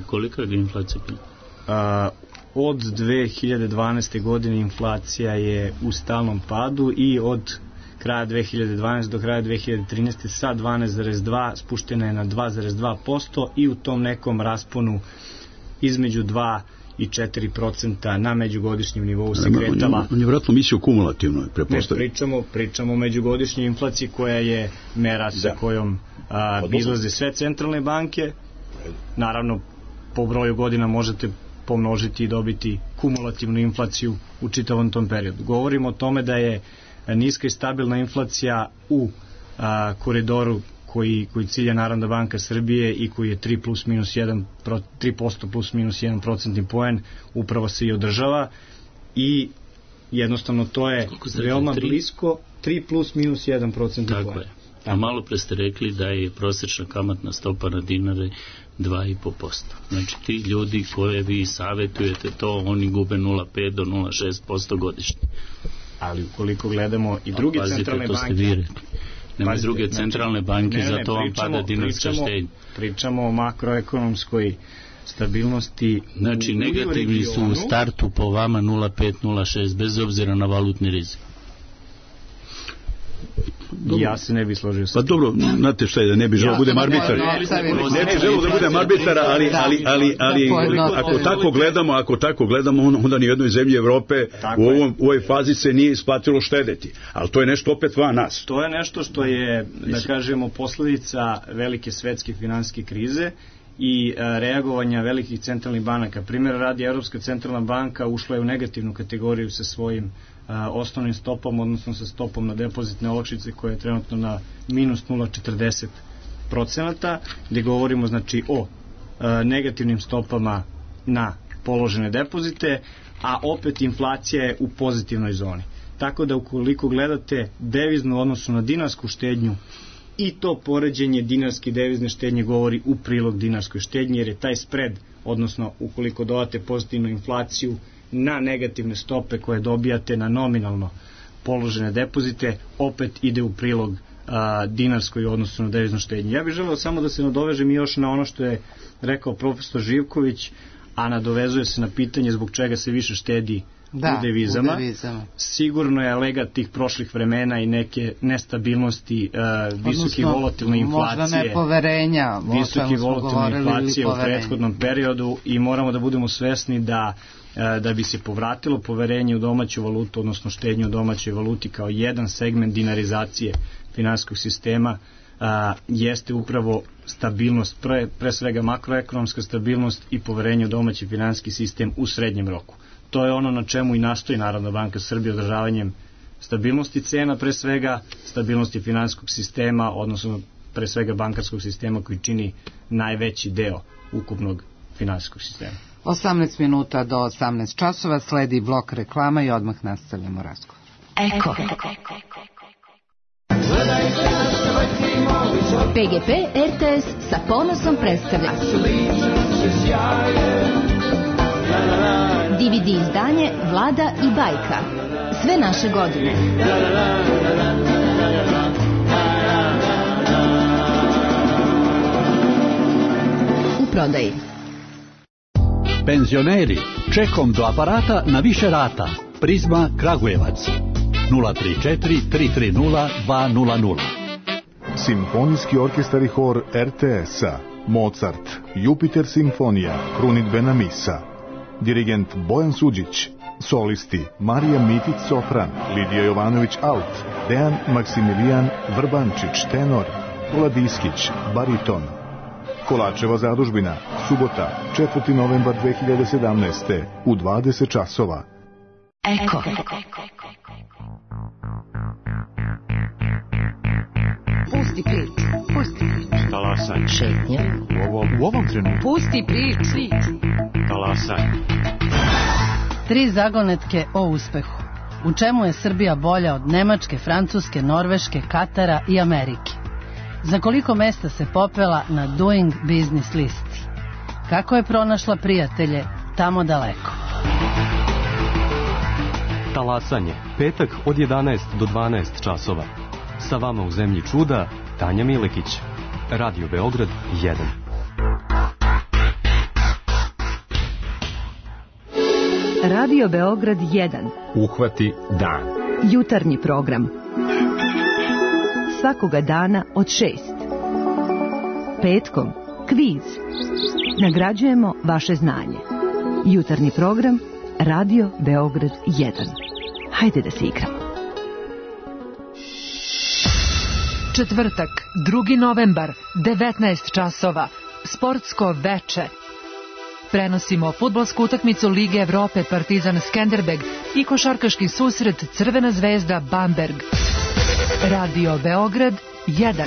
Kolika je inflacija bila? Od 2012. godine inflacija je u stalnom padu i od kraja 2012. do kraja 2013. sa 12,2 spuštena je na 2,2% i u tom nekom rasponu između 2 i 4% na međugodišnjem nivou se kretala. On je vratno mislio kumulativno, prepostavljamo. Pričamo o međugodišnjoj inflaciji koja je mera sa kojom izlaze sve centralne banke. Naravno, po broju godina možete pomnožiti i dobiti kumulativnu inflaciju u čitavom tom periodu. Govorimo o tome da je niska i stabilna inflacija u koridoru koji cilja Narodna banka Srbije i koji je 3% plus minus 1% poen, upravo se i održava i jednostavno to je veoma blisko 3 plus minus 1% tako poen. Je. A malo pre ste rekli da je prosječna kamatna stopa na dinare 2,5%. Znači ti ljudi koje vi savjetujete to, oni gube 0,5 do 0,6% godišnje. Ali ukoliko gledamo i druge centralne banke, nema druge centralne banke, zato vam pada dinarska štednja. Pričamo o makroekonomskoj stabilnosti. Znači negativni su u startu po vama 0,5, 0,6 bez obzira na valutni rizik. Ja se ne bi složio sa pa dobro, znate šta je, da ne bi želeo da budem arbitar. Ne bi želeo da budem arbitar, ali ako tako gledamo, onda ni u jednoj zemlji Evrope u ovoj fazi se nije isplatilo štedeti. Ali to je nešto opet van nas. To je nešto što je, da kažemo, posledica velike svetske finansijske krize i reagovanja velikih centralnih banaka. Primjer radi, Evropska centralna banka ušla je u negativnu kategoriju sa svojim osnovnim stopom, odnosno sa stopom na depozitne olakšice koja je trenutno na minus 0,40%, gdje govorimo znači o negativnim stopama na položene depozite, a opet inflacija je u pozitivnoj zoni. Tako da ukoliko gledate deviznu odnosu na dinarsku štednju, i to poređenje dinarske i devizne štednje govori u prilog dinarskoj štednji, jer je taj spread, odnosno ukoliko dodate pozitivnu inflaciju na negativne stope koje dobijate na nominalno položene depozite, opet ide u prilog dinarskoj odnosu na deviznu štednju. Ja bih želeo samo da se nadovežem još na ono što je rekao profesor Živković, a nadovezuje se na pitanje zbog čega se više štedi u devizama. Sigurno je legat tih prošlih vremena i neke nestabilnosti, visoke volatilne inflacije, možda nepoverenja, visoke volatilne inflacije u prethodnom periodu, i moramo da budemo svesni da bi se povratilo poverenje u domaću valutu, odnosno štednju u domaćoj valuti kao jedan segment dinarizacije finansijskog sistema, jeste upravo stabilnost, pre svega makroekonomska stabilnost i poverenje u domaći finansijski sistem u srednjem roku. To je ono na čemu i nastoji Narodna banka Srbije, održavanjem stabilnosti cena, pre svega stabilnosti finansijskog sistema, odnosno pre svega bankarskog sistema koji čini najveći deo ukupnog finansijskog sistema. 18 minuta do 18 časova, sledi blok reklama i odmah nastavljamo razgovor. Eko. PGP RTS sa ponosom predstavlja DVD izdanje Vlada i bajka. Sve naše godine. U prodaji. Penzioneri, čekom do aparata na više rata. Prizma Kragujevac 034 330 200. Simfonijski orkestar i hor RTS-a, Mozart, Jupiter simfonija, krunidbena misa. Dirigent Bojan Suđić. Solisti Marija Mitić sopran, Lidija Jovanović alt, Dejan Maksimilijan Vrbančić tenor, Tola Diskić bariton. Kolačeva zadužbina, subota, 4. novembar 2017. u 20 časova. Eko. Pusti priču. Talasaj. Šetnja. U ovom trenutku. Pusti priču. Talasaj. 3 zagonetke o uspehu. U čemu je Srbija bolja od Nemačke, Francuske, Norveške, Katara i Amerike? Za koliko mesta se popela na Doing Business listi? Kako je pronašla prijatelje tamo daleko? Talasanje. Petak od 11 do 12 časova. Sa vama u zemlji čuda, Tanja Milekić. Radio Beograd 1. Radio Beograd 1. Uhvati dan. Jutarnji program. Svakoga dana od 6. Petkom kviz. Nagrađujemo vaše znanje. Jutarnji program Radio Beograd 1. Hajde da se igramo. Četvrtak, 2. novembar, 19 časova. Sportsko veče. prenosimo fudbalsku utakmicu Lige Evrope Partizan Skenderbeg i košarkaški susret Crvena zvezda Bamberg. Radio Beograd 1.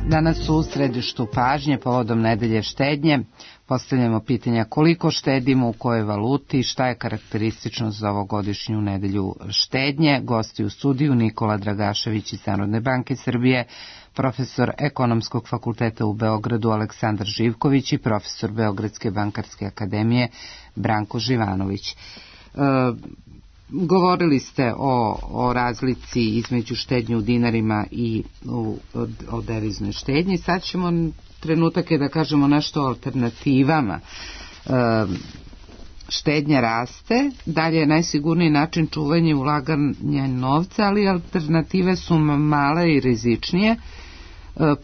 Danas u središtu pažnje povodom nedelje štednje postavljamo pitanja koliko štedimo, u kojoj valuti, šta je karakteristično za ovogodišnju nedelju štednje. Gosti u studiju Nikola Dragašević iz Narodne banke Srbije, profesor Ekonomskog fakulteta u Beogradu Aleksandar Živković i profesor Beogradske bankarske akademije Branko Živanović. Govorili ste o razlici između štednje u dinarima i o deviznoj štednji. Sad ćemo trenutak je da kažemo nešto o alternativama. Štednja raste, dalje je najsigurniji način čuvanja ulaganja novca, ali alternative su male i rizičnije.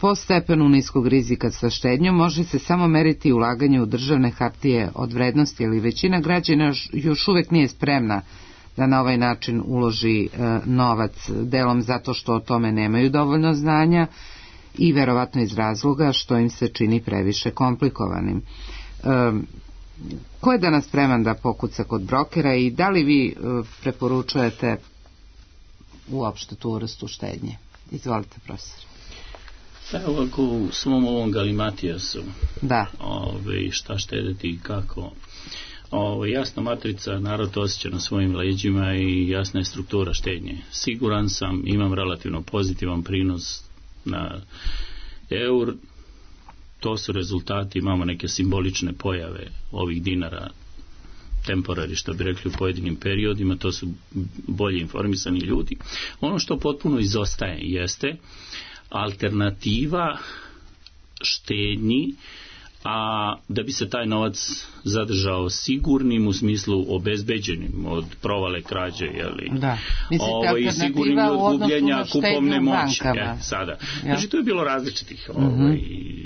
Po stepenu niskog rizika sa štednjom može se samo meriti ulaganje u državne hartije od vrednosti, ali većina građana još uvek nije spremna da na ovaj način uloži novac, delom zato što o tome nemaju dovoljno znanja i verovatno iz razloga što im se čini previše komplikovanim. Ko je danas spreman da pokuca kod brokera i da li vi preporučujete uopšte tu vrstu štednje? Izvolite, profesor. Evo ovako u svom ovom galimatijasu, da. Šta štedeti i kako. Jasna matrica, narod osjeća na svojim leđima i jasna je struktura štednje. Siguran sam, imam relativno pozitivan prinos na eur, to su rezultati, imamo neke simbolične pojave ovih dinara, temporari, što bi rekli u pojedinim periodima, to su bolje informisani ljudi. Ono što potpuno izostaje jeste alternativa štednji, a da bi se taj novac zadržao sigurnim u smislu obezbeđenim od provale krađe, i sigurnim od gubljenja kupovne moći. Sada. Znači, to je bilo različitih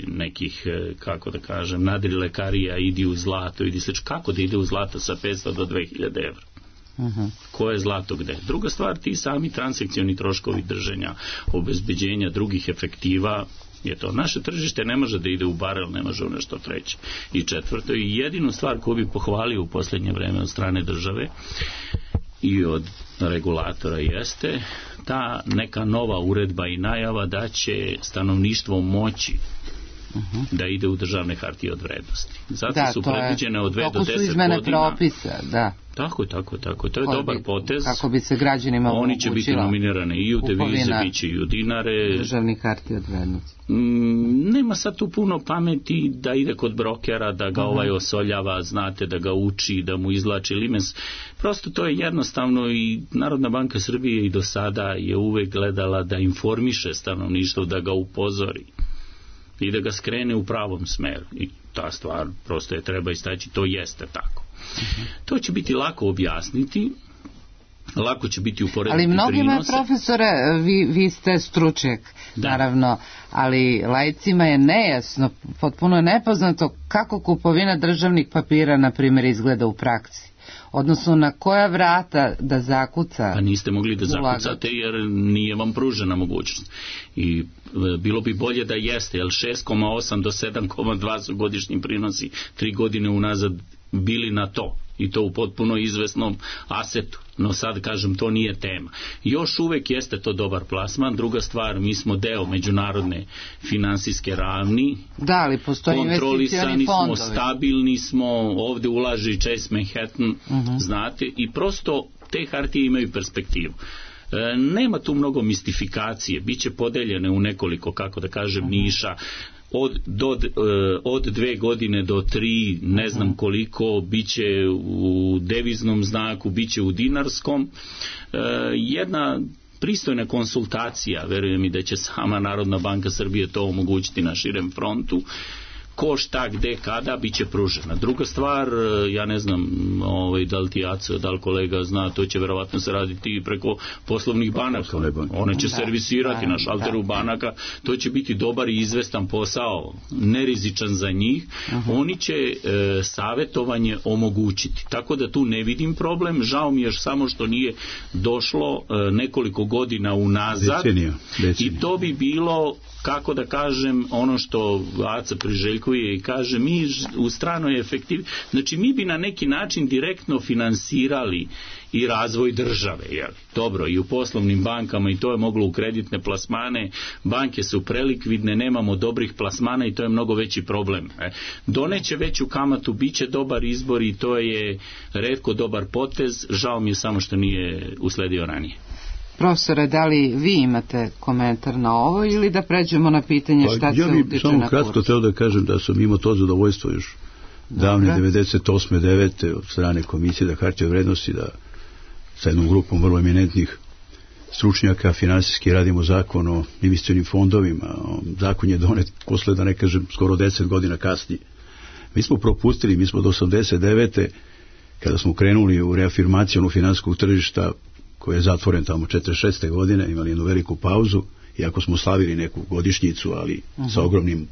nekih, kako da kažem, nadrilekarija, idi u zlato, idi slično. Kako da ide u zlato sa 500 do 2000 evra? Koje je zlato gde? Druga stvar, ti sami transakcioni troškovi držanja, obezbeđenja drugih efektiva, je to. Naše tržište ne može da ide u barel, ne može u nešto treće. I četvrto, i jedinu stvar koju bi pohvalio u posljednje vreme od strane države i od regulatora jeste ta neka nova uredba i najava da će stanovništvo moći da ide u državne hartije od vrednosti. Zato su predviđene od 2 do 10 godina. Tako su izmene propisa, da. Tako. To je dobar potez. Kako bi se građanima omogućilo. Oni će biti nominirane i u devize, bit će i u dinare. Državnih hartija od vrednosti. Nema sad tu puno pameti da ide kod brokera, da ga osoljava, znate, da ga uči, da mu izlači limens. Prosto to je jednostavno i Narodna banka Srbije i do sada je uvek gledala da informiše stanovništvo, da ga upozori i da ga skrene u pravom smeru. I ta stvar prosto je treba istaći, to jeste tako. To će biti lako objasniti, lako će biti uporediti prinose. Ali mnogima, profesore, vi ste stručnjak, naravno, ali laicima je nejasno, potpuno je nepoznato kako kupovina državnih papira, na primjer, izgleda u praksi. Odnosno na koja vrata da zakuca? Pa niste mogli da zakucate jer nije vam pružena mogućnost. I bilo bi bolje da jeste, jer 6,8 do 7,2 su godišnji prinosi 3 godine unazad bili na to. I to u potpuno izvesnom asetu. No sad, kažem, to nije tema. Još uvek jeste to dobar plasman. Druga stvar, mi smo deo međunarodne finansijske ravni. Da, ali postoji kontrolisani smo, stabilni smo, ovde ulaže i Chase Manhattan, znate, i prosto te hartije imaju perspektivu. Nema tu mnogo mistifikacije, biće podeljene u nekoliko, kako da kažem, niša, od 2 godine do 3, ne znam koliko, biće u deviznom znaku, biće u dinarskom. Jedna pristojna konsultacija, verujem i da će sama Narodna banka Srbije to omogućiti na širem frontu, ko šta, gde, kada, bit će pružena. Druga stvar, ja ne znam da li ti Aco, da li kolega zna, to će verovatno se raditi preko poslovnih banaka. One će servisirati na šalteru banaka, to će biti dobar i izvestan posao, nerizičan za njih. Oni će savetovanje omogućiti. Tako da tu ne vidim problem, žao mi je samo što nije došlo nekoliko godina unazad. Decenija. I to bi bilo, kako da kažem, ono što Aca priželjkuje i kaže, mi u stranoj efektivi, znači mi bi na neki način direktno finansirali i razvoj države, jel? Dobro, i u poslovnim bankama, i to je moglo u kreditne plasmane, banke su prelikvidne, nemamo dobrih plasmana i to je mnogo veći problem. Doneće veću kamatu, bit će dobar izbor i to je retko dobar potez, žao mi je samo što nije usledio ranije. Profesore, da li vi imate komentar na ovo ili da pređemo na pitanje šta se utiče na kurs? Ja bih samo kratko teo da kažem da sam imao to zadovoljstvo još davne 98. 9. od strane Komisije za hartije od vrednosti, da sa jednom grupom vrlo eminentnih stručnjaka finansijski radimo zakon o investicionim fondovima. Zakon je donet posle, da ne kažem, skoro 10 godina kasnije. Mi smo propustili, mi smo do 89. kada smo krenuli u reafirmaciju finansijskog tržišta, koji je zatvoren tamo 46. godine, imali jednu veliku pauzu, iako smo slavili neku godišnjicu, ali sa ogromnim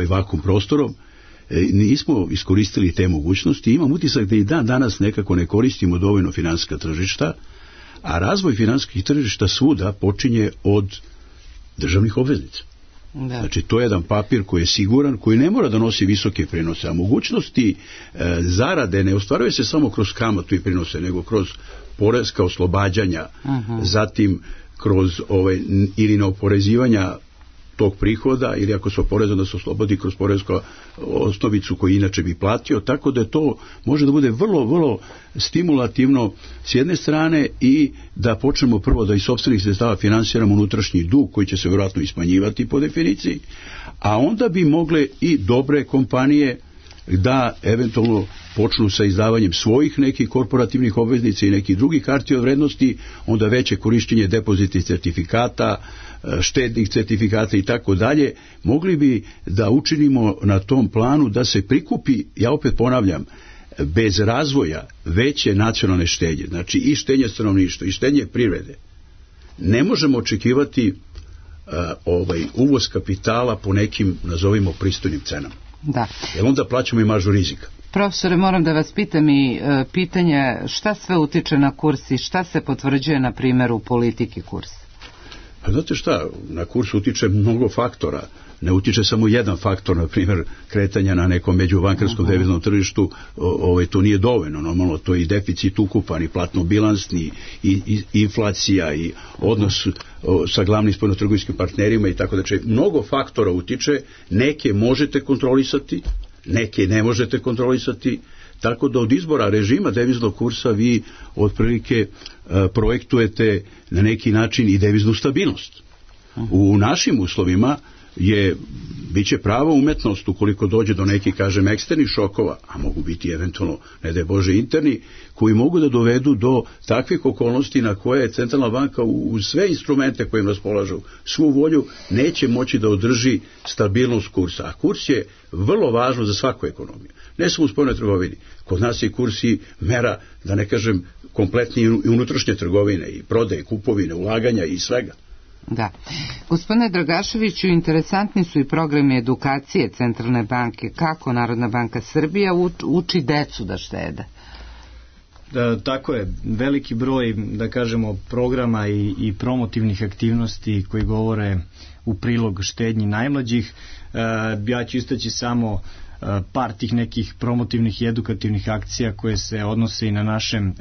vakum prostorom, nismo iskoristili te mogućnosti. Imam utisak da i danas nekako ne koristimo dovoljno finansijska tržišta, a razvoj finansijskih tržišta svuda počinje od državnih obveznica. Da. Znači, to je jedan papir koji je siguran, koji ne mora da nosi visoke prinose, a mogućnosti zarade ne ostvaruje se samo kroz kamatu i prinose, nego kroz poreska oslobađanja, zatim kroz ili neoporezivanja tog prihoda, ili ako se oporezuje da se oslobodi kroz poresku osnovicu koju inače bi platio, tako da to može da bude vrlo, vrlo stimulativno s jedne strane i da počnemo prvo da iz sopstvenih sredstava finansiramo unutrašnji dug koji će se vjerojatno ismanjivati po definiciji, a onda bi mogle i dobre kompanije da eventualno počnu sa izdavanjem svojih nekih korporativnih obveznica i nekih drugih hartija od vrednosti, onda veće korišćenje depozitnih certifikata, štednih certifikata i tako dalje, mogli bi da učinimo na tom planu da se prikupi, ja opet ponavljam, bez razvoja veće nacionalne štednje, znači i štednje stanovništva i štednje privrede. Ne možemo očekivati uvoz kapitala po nekim, nazovimo, pristojnim cenama. Da. Jer onda plaćamo i maržu rizika. Profesore, moram da vas pitam i pitanje šta sve utiče na kurs i šta se potvrđuje na primjeru politike kursa? Pa znate šta, na kurs utiče mnogo faktora. Ne utiče samo jedan faktor, na primjer kretanja na nekom međubankarskom deviznom tržištu, to nije dovoljno. Normalno, to je i deficit ukupan, i platno-bilansni, i inflacija, i odnos sa glavnim spoljnotrgovinskim partnerima i tako da će. Mnogo faktora utiče, neke možete kontrolisati, neke ne možete kontrolisati, tako da od izbora režima deviznog kursa vi otprilike projektujete na neki način i deviznu stabilnost. U našim uslovima biće prava umetnost ukoliko dođe do nekih, kažem, eksternih šokova, a mogu biti eventualno, ne daj Bože, interni, koji mogu da dovedu do takvih okolnosti na koje centralna banka uz sve instrumente kojim raspolažu, svu volju, neće moći da održi stabilnost kursa. A kurs je vrlo važno za svaku ekonomiju. Ne samo u spoljnoj trgovini. Kod nas je kurs i mera, da ne kažem, kompletni i unutrašnje trgovine, i prodaje, kupovine, ulaganja i svega. Da. Gospodine Dragaševiću, interesantni su i programi edukacije Centralne banke. Kako Narodna banka Srbije uči decu da štede? Tako je, veliki broj, da kažemo, programa i promotivnih aktivnosti koji govore u prilog štednji najmlađih. Ja ću istaći samo par tih nekih promotivnih i edukativnih akcija koje se odnose i na našem,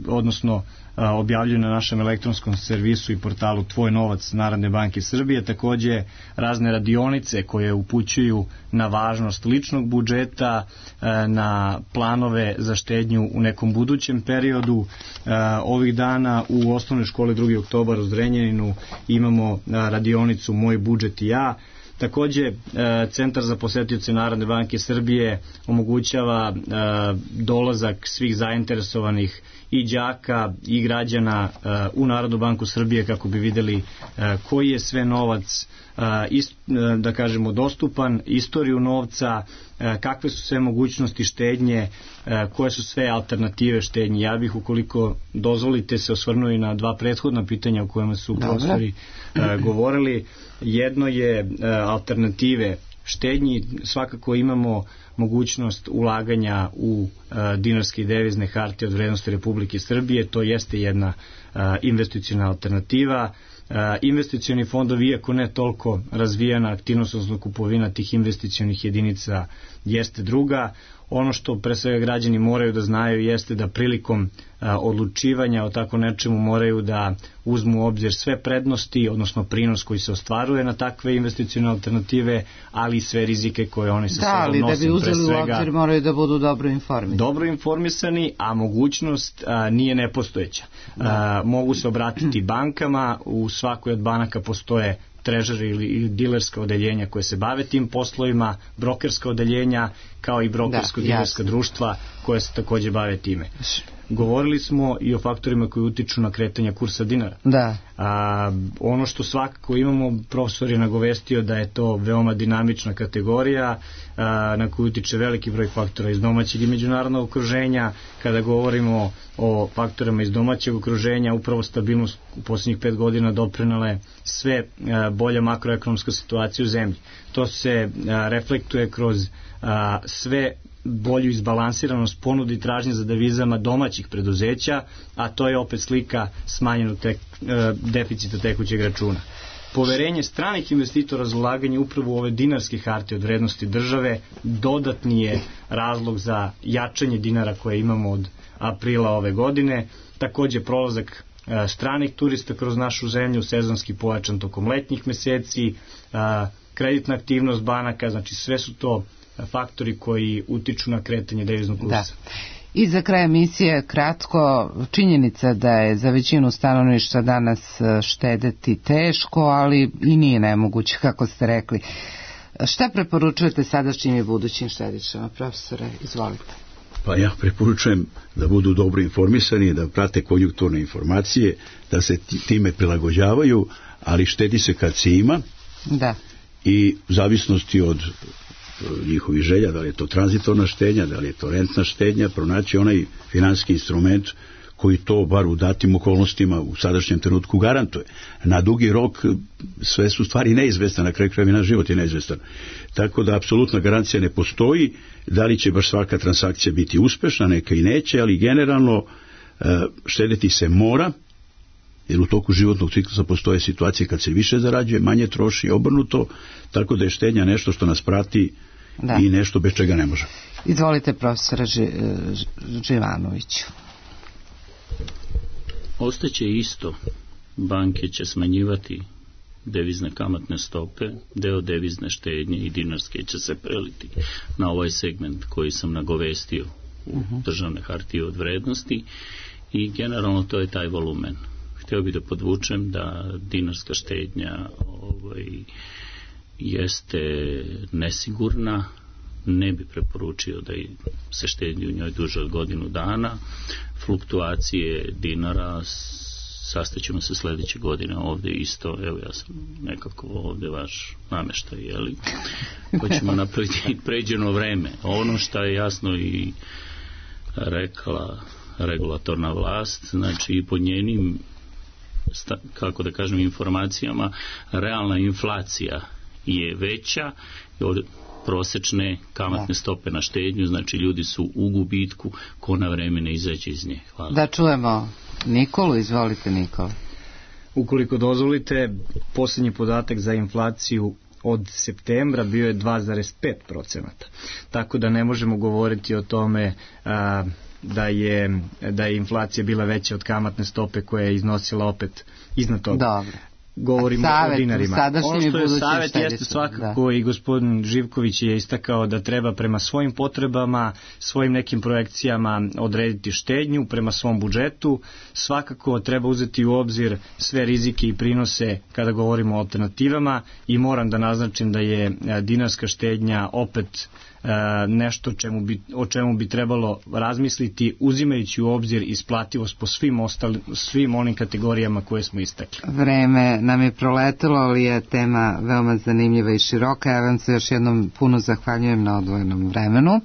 odnosno objavljuju na našem elektronskom servisu i portalu Tvoj novac Narodne banke Srbije. Takođe razne radionice koje upućuju na važnost ličnog budžeta, na planove za štednju u nekom budućem periodu. Ovih dana u osnovnoj školi 2. oktobar u Zrenjaninu imamo radionicu Moj budžet i ja. Takođe, Centar za posetioce Narodne banke Srbije omogućava dolazak svih zainteresovanih i đaka i građana u Narodnu banku Srbije kako bi videli koji je sve novac, da kažemo, dostupan, istoriju novca, kakve su sve mogućnosti štednje, koje su sve alternative štednje. Ja bih, ukoliko dozvolite, se osvrnuo i na dva prethodna pitanja o kojima su profesori govorili. Jedno je alternative štednji. Svakako imamo mogućnost ulaganja u dinarske i devizne hartije od vrednosti Republike Srbije. To jeste jedna investiciona alternativa. Investicioni fondovi, iako ne toliko razvijena aktivnost, odnosno kupovina tih investicionih jedinica, jeste druga. Ono što pre svega građani moraju da znaju jeste da prilikom odlučivanja o tako nečemu moraju da uzmu u obzir sve prednosti, odnosno prinos koji se ostvaruje na takve investicione alternative, ali i sve rizike koje oni sa sobom nose. Da, ali da bi uzeli u obzir moraju da budu dobro informisani. Dobro informisani, a mogućnost nije nepostojeća. Mogu se obratiti bankama, u svakoj od banaka postoje trežeri ili dilerska odeljenja koje se bave tim poslovima, brokerska odeljenja, kao i brokersko-dilerska društva koje se takođe bave time. Govorili smo i o faktorima koji utiču na kretanje kursa dinara. Da. Ono što svakako imamo, profesor je nagovestio da je to veoma dinamična kategorija na koju utiče veliki broj faktora iz domaćeg i međunarodnog okruženja. Kada govorimo o faktorima iz domaćeg okruženja, upravo stabilnost u posljednjih 5 godina doprinale sve bolja makroekonomska situacija u zemlji. To se reflektuje kroz sve bolju izbalansiranost ponude i tražnje za devizama domaćih preduzeća, a to je opet slika smanjenog deficita tekućeg računa. Poverenje stranih investitora za ulaganje upravo u ove dinarske hartije od vrednosti države dodatni je razlog za jačanje dinara koje imamo od aprila ove godine. Takođe prolazak stranih turista kroz našu zemlju, sezonski pojačan tokom letnjih meseci, kreditna aktivnost banaka, znači sve su to faktori koji utiču na kretanje deviznog kursa. Da. I za kraj emisije kratko, činjenica da je za većinu stanovništva danas štedeti teško, ali i nije nemoguće, kako ste rekli. Šta preporučujete sadašnjim i budućim štedišama, profesore? Izvolite. Pa ja preporučujem da budu dobro informisani, da prate konjunkturne informacije, da se time prilagođavaju, ali štedi se kad se ima. Da. I u zavisnosti od njihovih želja, da li je to tranzitorna štednja, da li je to rentna štednja, pronaći onaj finansijski instrument koji to bar u datim okolnostima u sadašnjem trenutku garantuje. Na dugi rok sve su stvari neizvestane, na kraju krajeva naš život je neizvestan. Tako da apsolutna garancija ne postoji, da li će baš svaka transakcija biti uspešna, neka i neće, ali generalno štedeti se mora, jer u toku životnog ciklusa postoje situacije kad se više zarađuje, manje troši, obrnuto, tako da je štednja nešto što nas prati i nešto bez čega ne može. Izvolite, profesora Živanoviću. Ostaće isto. Banke će smanjivati devizne kamatne stope, deo devizne štednje i dinarske će se preliti na ovaj segment koji sam nagovestio u državne hartije od vrednosti i generalno to je taj volumen. Htio bih da podvučem da dinarska štednja jeste nesigurna, ne bi preporučio da se štedi u njoj duže od godinu dana. Fluktuacije dinara sastaćemo se sledeće godine ovde isto, evo ja sam nekako ovde vaš nameštaj, jeli? Hoćemo napraviti pređeno vreme. Ono što je jasno i rekla regulatorna vlast, znači i pod njenim kako da kažem, informacijama, realna inflacija je veća od prosečne kamatne stope na štednju, znači ljudi su u gubitku ko na vreme ne izađe iz nje. Hvala. Da čujemo Nikolu, izvolite Nikola. Ukoliko dozvolite, posljednji podatak za inflaciju od septembra bio je 2,5%. Tako da ne možemo govoriti o tome da je inflacija bila veća od kamatne stope koja je iznosila opet iznad toga. Dobro. Govorimo o dinarima. Ono što je savjet jeste svakako i gospodin Živković je istakao da treba prema svojim potrebama, svojim nekim projekcijama odrediti štednju prema svom budžetu. Svakako treba uzeti u obzir sve rizike i prinose kada govorimo o alternativama i moram da naznačim da je dinarska štednja opet nešto o čemu bi trebalo razmisliti uzimajući u obzir isplativost po svim onim kategorijama koje smo istakli. Vreme nam je proletelo, ali je tema veoma zanimljiva i široka. Ja vam se još jednom puno zahvaljujem na odvojenom vremenu.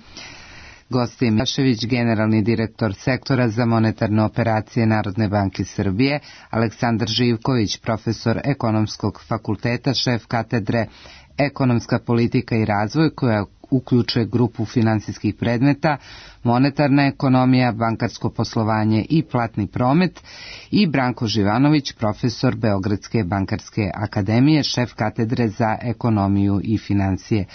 Gost je Milošević, generalni direktor sektora za monetarne operacije Narodne banke Srbije, Aleksandar Živković, profesor Ekonomskog fakulteta, šef katedre Ekonomska politika i razvoj, koja uključuje grupu finansijskih predmeta, monetarna ekonomija, bankarsko poslovanje i platni promet, i Branko Živanović, profesor Beogradske bankarske akademije, šef katedre za ekonomiju i financije.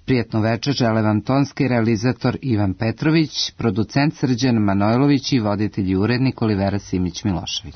Prijetno večer žele vam tonski realizator Ivan Petrović, producent Srđan Manojlović i voditelj i urednik Olivera Simić Milošević.